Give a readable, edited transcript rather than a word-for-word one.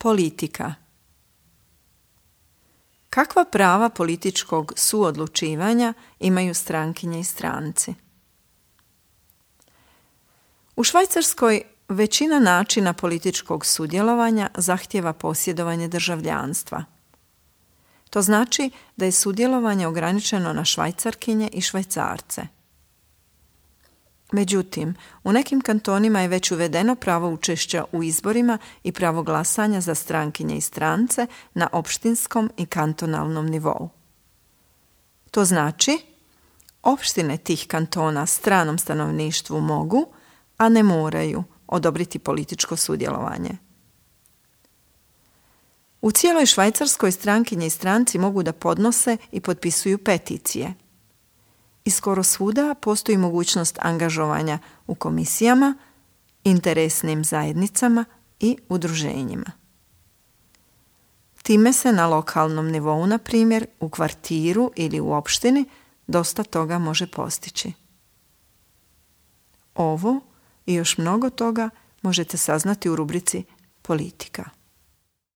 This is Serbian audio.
Politika. Kakva prava političkog suodlučivanja imaju strankinje i stranci? U Švajcarskoj većina načina političkog sudjelovanja zahtijeva posjedovanje državljanstva. To znači da je sudjelovanje ograničeno na Švajcarkinje i Švajcarce. Međutim, u nekim kantonima je već uvedeno pravo učešća u izborima i pravo glasanja za strankinje i strance na opštinskom i kantonalnom nivou. To znači, opštine tih kantona stranom stanovništvu mogu, a ne moraju odobriti političko sudjelovanje. U cijeloj Švajcarskoj strankinje i stranci mogu da podnose i potpisuju peticije. I skoro svuda postoji mogućnost angažovanja u komisijama, interesnim zajednicama i udruženjima. Time se na lokalnom nivou, na primjer, u kvartiru ili u opštini, dosta toga može postići. Ovo i još mnogo toga možete saznati u rubrici Politika.